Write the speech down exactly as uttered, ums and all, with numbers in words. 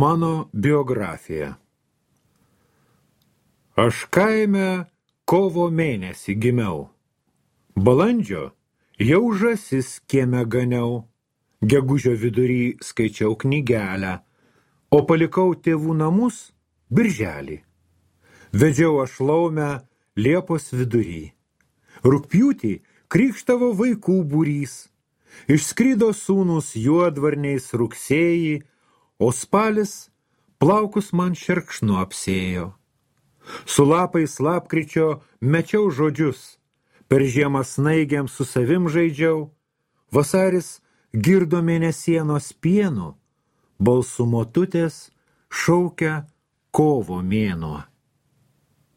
Mano biografija. Aš kaime kovo mėnesį gimiau. Balandžio jau žąsis kieme ganiau. Gegužio vidury skaičiau knygelę, o palikau tėvų namus birželį. Vedžiau aš laumę Liepos vidury. Rugpjūtį krykštavo vaikų būrys. Išskrido sūnus juodvarniais rugsėjį, o spalis plaukus man šerkšnu apsėjo. Su lapais lapkričio mečiau žodžius, per žiemą snaigiam su savim žaidžiau, vasaris girdo mėnesienos pienu, balsu motutės šaukia kovo mėnuo.